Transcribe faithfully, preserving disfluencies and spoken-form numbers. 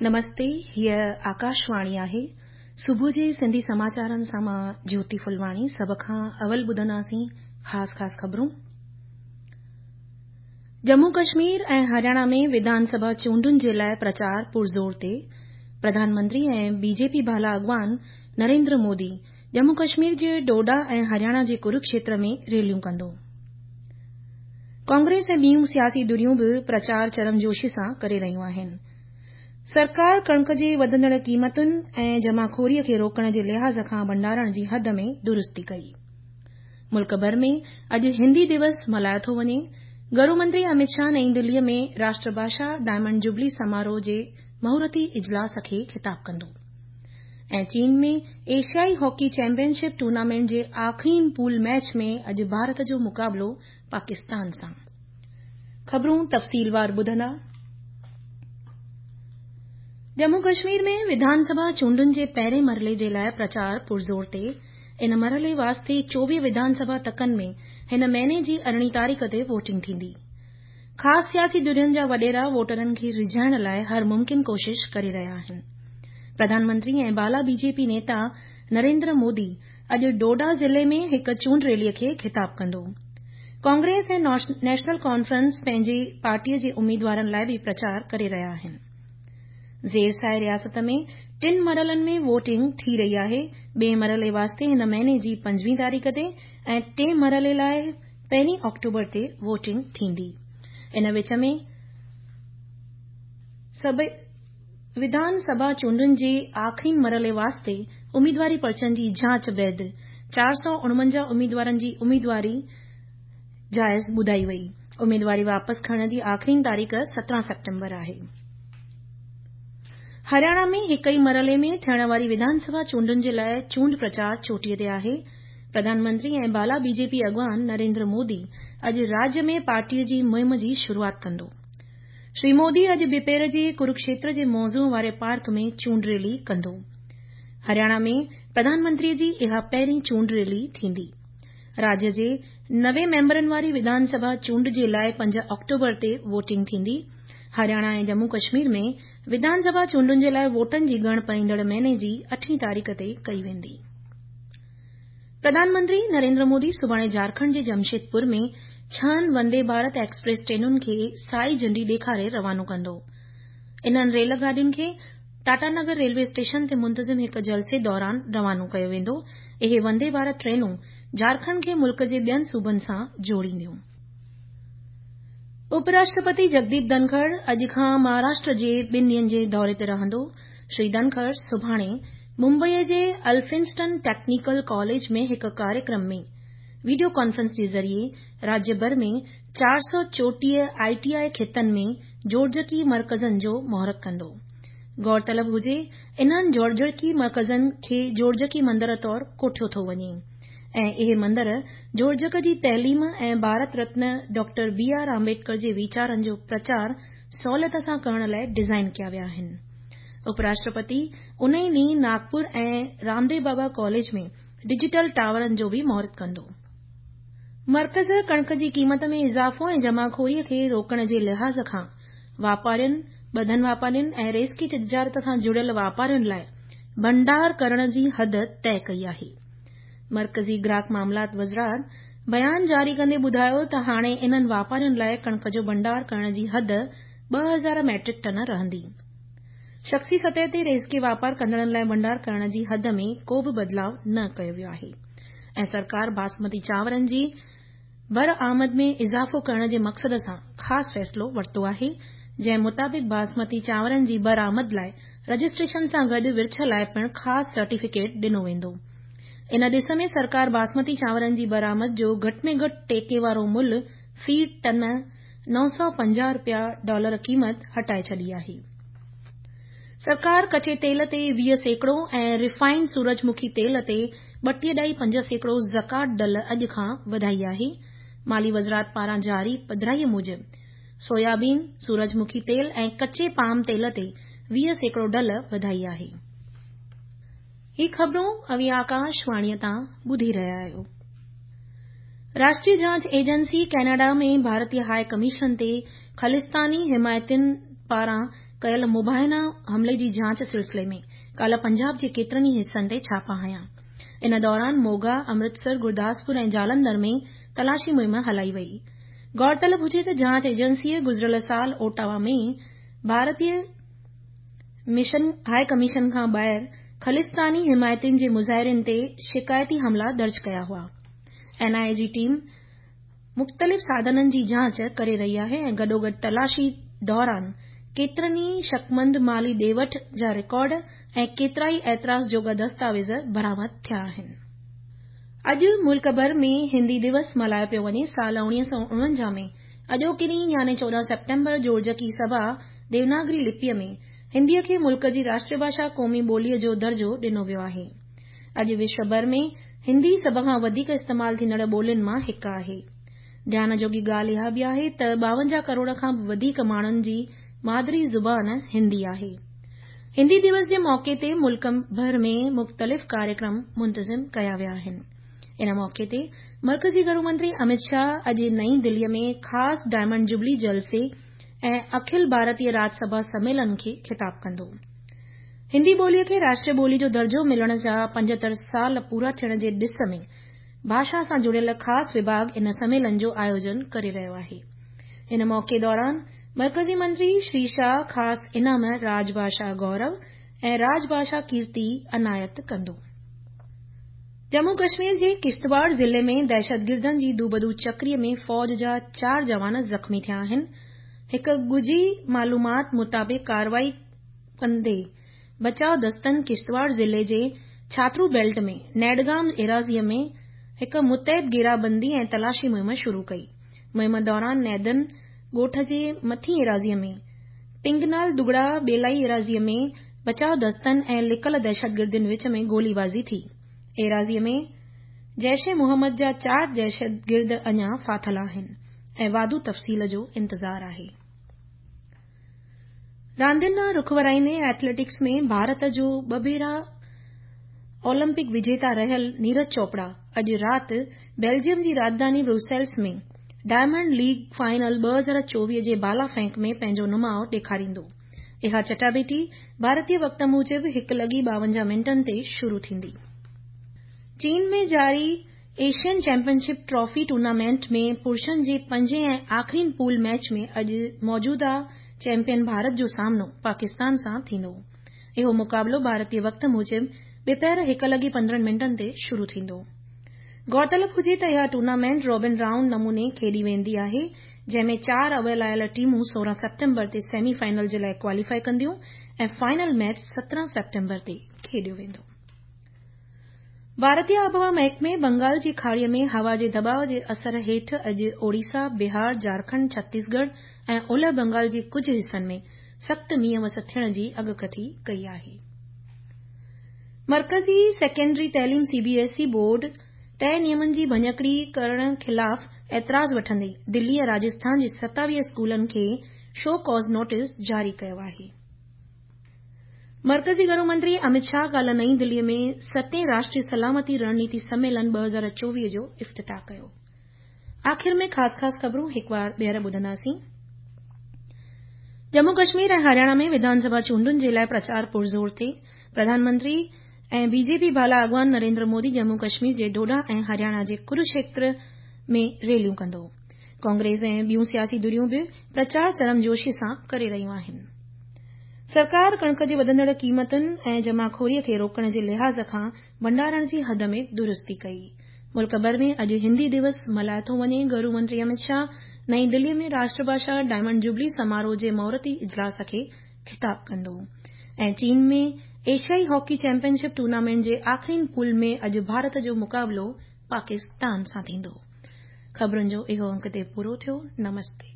نمستي، هيء آڪاشواڻي آهي. صبح جي سنڌي سماچارن سان مان جيوتي ڦلواڻي. سڀ کان اول ٻڌنداسين خاص خاص خبرون. ڄمون ڪشمير ۽ هرياڻا ۾ وڌان سڀا چونڊن جي لاءِ پرچار پرزور تي. پرڌان منتري ۽ بي جي پي بالا اڳواڻ نريندر مودي ڄمون ڪشمير جي ڊوڊا ۽ هرياڻا جي ڪروڪشيتر ۾ ريليون ڪندو. ڪانگريس ۽ ٻيون سياسي ڌريون به پرچار چرمجوشي سان ڪري رهيون آهن. سرڪار ڪڻڪ جي وڌندڙ قيمتن ۽ جمعخوري کي روڪڻ جي لحاظ کان ڀنڊارڻ جي حد ۾ درستي ڪئي. ملڪ ڀر ۾ اڄ هندي دوس ملهايو ٿو وڃي. گهرو منتري امت شاهه نئين دلي ۾ راشٽر ڀاشا ڊائمنڊ جوبلي سماروهه جي مهورتي اجلاس کي خطاب ڪندو. ۽ چين ۾ ايشيائي هاڪي چيمپيئن شپ ٽورنامينٽ جي آخرين پول ميچ ۾ اڄ ڀارت جو مقابلو پاڪستان سان. خبرون تفصيلوار ٻڌندا. ڄمون ڪشمير ۾ وڌان سڀا چونڊن جي پهرين مرحلي جي لاءِ پرچار پرزور تي. ان مرحلي واسطي چوويهه وڌان سڀا تڪن ۾ هن مهيني جي ارڙهين تاريخ تي ووٽنگ ٿيندي. خاص سياسي ڌرين جا وڏيرا ووٽرن کي ريجهائڻ لاءِ هر ممڪن ڪوشش ڪري رهيا آهن. پرڌان منتري ۽ بالا بي جي پي نيتا نريندر مودي اڄ ڊوڊا ضلعي ۾ هڪ چونڊ ريلي کي خطاب ڪندو. ڪانگريس ۽ نيشنل ڪانفرنس پنهنجي پارٽي جي اميدوارن لاءِ به پرچار ڪري رهيا آهن. زير سايه رياست ۾ ٽن مرحلن ۾ ووٽنگ ٿي رهي آهي. ٻئي مرحلي واسطي هن مهيني جي پنجويهه تاريخ تي ۽ ٽئين مرحلي لاءِ پهرين آڪٽوبر تي ووٽنگ ٿيندي. ان وچ ۾ وڌان سڀا چونڊن جي آخرين مرحلي واسطي اميدواري پرچن جي جاچ بعد چار سؤ اڻونجاهه اميدوارن جي اميدواري جائز ٻڌائي وئي. اميدواري واپس کڻڻ جي آخرين تاريخ سترهن سيپٽمبر آهي. هرياڻا ۾ هڪ ئي مرحلي ۾ ٿيڻ واري وڌان سڀا چونڊن جي لاءِ چونڊ پرچار چوٽيءَ تي آهي. پرڌان منتري ۽ بالا بي جي پي اڳواڻ نريندر مودي اڄ راجيه ۾ پارٽي جي مهم جي شروعات ڪندو. شري مودي اڄ ٻپهر جي ڪروڪشيتر جي موضوع واري پارڪ ۾ چونڊ ريلي ڪندو. هرياڻا ۾ پرڌان منتري جي اها پهرين چونڊ ريلي ٿيندي. راجيه جي نوي ميمبرن واري وڌان سڀا چونڊ جي لاءِ پنج آڪٽوبر تي ووٽنگ ٿيندي. هرياڻا ۽ ڄمون ڪشمير ۾ وڌان سڀا چونڊن جي لاءِ ووٽن جي ڳڻپ ايندڙ مهيني جي اٺين تاريخ تي ڪئي ويندي. پرڌان منتري نريندر مودي سڀاڻي جهارکنڊ جي جمشيدپور ۾ ڇهن وندي ڀارت ايڪسپريس ٽرينن کي سائي جهنڊي ڏيکاري روانو ڪندو. انهن ريل گاڏين کي ٽاٽا نگر ريلوي اسٽيشن تي منتظم هڪ جلسي دوران روانو ڪيو ويندو. اهي وندي ڀارت ٽرينون جهارکنڊ کي ملڪ جي ٻين صوبن سان جوڙينديون. اپ راشٽرپتي جگديپ ڌنکڙ اڄ کان مهاراشٽر جي ٻن ڏينهن جي دوري تي رهندو. شري ڌنکڙ سڀاڻي ممبئي جي الفنسٽن ٽيڪنيڪل ڪاليج ۾ هڪ ڪاريڪرم ۾ وڊيو ڪانفرنس جي ذريعي راجيه ڀر ۾ چار سؤ چوٽيهه I T I کيتن ۾ جوڙجڪي مرڪزن جو مهورت ڪندو. غور طلب هجي انهن جوڙجڪي مرڪزن کي جوڙجڪي مندر طور ڪوٺيو ٿو وڃي ۽ اهي مندر جوڙجڪ جي تعليم ۽ Bharat Ratna doctor B R Ambedkar جي ويچارن جو پرچار سهوليت سان ڪرڻ لاءِ ڊزائين ڪيا ويا آهن. اپ راشٽرپتي ان ئي ڏينهن ناگپور ۽ رامديو بابا ڪاليج ۾ ڊجيٽل ٽاورن جو به مهورت ڪندو. مرڪز ڪڻڪ جي قيمت ۾ اضافو ۽ جمعخوري کي روڪڻ جي لحاظ کان واپارين، ٻڌن واپارين ۽ ريزڪي تجارت سان جڙيل واپارين لاءِ ڀنڊار ڪرڻ جي حد طئي ڪئي آهي. مرڪزي گراهڪ معاملات وزارت بيان جاري ڪندي ٻڌايو ته هاڻي انهن واپارين لاءِ ڪڻڪ جو ڀنڊار ڪرڻ جي حد ٻه هزار ميٽرڪ ٽن رهندي. شخصي سطح تي ريزڪي واپار ڪندڙن لاءِ ڀنڊار ڪرڻ جي حد ۾ ڪو به بدلاءُ نه ڪيو ويو آهي ۽ سرڪار باسمتي چانورن جي برآمد ۾ اضافو ڪرڻ جي مقصد سان خاص فيصلو ورتو آهي، جنهن مطابق باسمتي چانورن جي برآمد لاءِ رجسٽريشن سان گڏ ورڇ لاءِ پڻ خاص سرٽيفڪيٽ ڏنو ويندو. ان ڏس ۾ سرڪار باسمتي چانورن جي برآمد جو گهٽ ۾ گهٽ ٽيڪي وارو ملهه في ٽن نو سؤ پنجاهه رپيا ڊالر قيمت هٽائي ڇڏي آهي. سرڪار ڪچي تيل تي ويهه سيڪڙو ۽ ريفائنڊ سورج مکي تيل تي ٻٽيهه ڏهائي پنج سيڪڙو زڪوات ڍل اڄ کان وڌائي آهي. مالي وزارت پاران جاري پڌرائي موجب سويابين، سورج مکي تيل ۽ ڪچي پام تيل تي ويهه سيڪڙو ڍل وڌائي آهي. هي خبرون اوهين آڪاشواڻي تان ٻڌي رهيا آهيو. راشٽريه جاچ ايجنسي ڪينيڊا ۾ ڀارتي هاءِ ڪميشن تي خالصتاني حمايتين پاران ڪيل مبينا حملي جي جاچ سلسلي ۾ ڪالهه پنجاب جي ڪيترن ئي حصن تي ڇاپا هنيا. ان دوران موگا، امرتسر، گرداسپور ۽ جالنڌر ۾ تلاشي مهم هلائي وئي. غور طلب هجي ته جاچ ايجنسيء گذريل سال اوٽاوا ۾ ڀارتي مشن هاء ڪميشن کان ٻاهر خالصتاني حمايتين جي مظاهرين تي شڪايتي حملا درج ڪيا هئا. اين آء اي جي ٽيم مختلف ساڌنن جي جاچ ڪري رهي آهي ۽ گڏوگڏ تلاشي دوران ڪيترن ئي شڪمند مالي ڏي وٺ جا رڪارڊ ۽ ڪيترائي اعتراض جوڳا دستاويز برآمد ٿيا آهن. اڄ ملڪ ڀر ۾ هندي دوس ملهايو پيو وڃي. سال اڻويهه سؤ اڻونجاهه ۾ اڄوڪي ڏينهن يعني چوڏهن سيپٽمبر جوڙجڪي سڀا ديوناگري لپيء ۾ هنديء کي ملڪ جي راشٽريه ڀاشا قومي ٻوليء جو درجو ڏنو ويو آهي. اڄ وشو ڀر ۾ هندي سڀ کان وڌيڪ استعمال ٿيندڙ ٻولين مان هڪ آهي. ڌيان جوڳي ڳالهه اها به آهي ته ٻاونجاهه ڪروڙ کان به وڌيڪ ماڻهن جي مادري زبان هندي آهي. هندي دوس جي موقعي تي ملڪ ڀر ۾ مختلف ڪاريڪرم منتظم ڪيا ويا آهن. ان موقعي تي مرڪزي گهرو منتري امت شاهه اڄ نئين دليء ۾ خاص ڊائمنڊ جوبلي جلسي ۽ اکل ڀارتيه راج سڀا سميلن کي خطاب ڪندو. هندي ٻوليء کي راشٽريه ٻولي جو درجو ملڻ جا پنجهتر سال پورا ٿيڻ جي ڏس ۾ ڀاشا سان جڙيل خاص وڀاڳ ان سميلن جو آيوجن ڪري رهيو آهي. ان موقعي دوران مرڪزي منتري شري شاهه خاص انعام راج ڀاشا گورو ۽ راج ڀاشا ڪيرتي عنايت ڪندو. ڄمون ڪشمير جي ڪشتواڙ ضلعي ۾ دهشتگردن جي دوبدو چڪريء ۾ فوج جا چار جوان زخمي ٿيا آهن. هڪ ڳجهي معلومات مطابق ڪارروائي ڪندي بچاء دستن ڪشتواڙ ضلعي جي ڇاترو بيلٽ ۾ نيڊگام ايراضيء ۾ هڪ متحد گهيرابندي ۽ تلاشي مهم شروع ڪئي. مهم دوران نيدن ڳوٺ جي مٿين ايراضيء ۾ پنگنال دگڙا ٻيلائي ايراضيء ۾ بچاء دستن ۽ لڪل دهشتگردن وچ ۾ گوليبازي ٿي. ايراضيء ۾ جيش محمد جا چار دهشتگرد اڃا ڦاٿل آهن ۽ واڌو تفصيل جو انتظار آهي. راندين ڏانهن رخ ورائيندي ايٿليٽڪس ۾ ڀارت جو ٻه ڀيرا اولمپڪ وجيتا رهيل نيرج چوپڙا اڄ رات بيلجيم جي راڄڌاني بروسيلز ۾ ڊائمنڊ ليگ فائنل ٻه هزار چوويهه جي بالا ڦينڪ ۾ پنهنجو نماءُ ڏيکاريندو. اها چٽاڀيٽي ڀارتي وقت موجب هڪ لڳي ٻاونجاهه منٽن تي شروع ٿيندي. چين ۾ جاري Asian champion ship trophy tournament ۾ پرشن جي پنجين ۽ آخرين پول ميچ ۾ اڄ موجوده چيمپيئن ڀارت جو سامنو پاڪستان سان ٿيندو. اهو مقابلو ڀارتي وقت موجب ٻپهر هڪ لڳي پندرهن منٽن تي شروع ٿيندو. غور طلب هجي ته اها ٽورنامينٽ رابن رائونڊ نموني کيڏي ويندي آهي، جنهن ۾ چار اول آيل ٽيمون سورهن سيپٽمبر تي سيمي فائنل جي لاء ڪواليفائي ڪنديون ۽ فائنل ميچ سترهن سيپٽمبر تي کيڏيو ويندو. ڀارتي آبهوا محڪمي بنگال جي کاڙيء ۾ هوا جي دٻاء جي اثر هيٺ اڄ اوڙيسا، بهار، جهارکنڊ، ڇتيسڳڙهه ۽ اولهه بنگال جي ڪجهه حصن ۾ سخت مينهن وس ٿيڻ جي اڳڪٿي ڪئي آهي. مرڪزي سيڪنڊري تعليم C B S E board طئي نيمن جي ڀڃڪڙي ڪرڻ خلاف اعتراض وٺندي دلي ۽ راجسٿان جي ستاويهه اسڪولن کي شو ڪاز نوٽيس جاري ڪيو آهي. مرڪزي گهرو منتري امت شاهه ڪالهه نئين دليء ۾ ستين راشٽريه سلامتي رڻنيتي سميلن ٻه هزار چوويهه جو افتتاح ڪيو. آخر ۾ خاص خاص خبرون هڪ وار ٻيهر ٻڌنداسين. ڄمون ڪشمير ۽ هرياڻا ۾ وڌان سڀا چونڊن جي لاء پرچار پرزور تي. پرڌان منتري ۽ بي جي پي بالا اڳواڻ نريندر مودي ڄمون ڪشمير جي ڊوڊا ۽ هرياڻا جي ڪروڪشيتر ۾ ريليون ڪندو. ڪانگريس ۽ ٻيون سياسي ڌريون به پرچار گرمجوشي سان ڪري رهيون آهن. سرڪار ڪڻڪ جي وڌندڙ قيمتن ۽ جماخوريء کي روڪڻ جي لحاظ کان ڀنڊارڻ جي حد ۾ درستي ڪئي. ملڪ ڀر ۾ اڄ هندي دوس ملهايو ٿو وڃي. گهرو منتري امت شاهه نئين دليء ۾ راشٽر ڀاشا ڊائمنڊ جوبلي سماروهه جي مهورتي اجلاس کي خطاب ڪندو. ۽ چين ۾ ايشيائي هاڪي چيمپيئن شپ ٽورنامينٽ جي آخرين پول ۾ اڄ ڀارت جو مقابلو پاڪستان سان ٿيندو. خبرن جو اهو انڪ هتي پورو ٿيو. نمستي.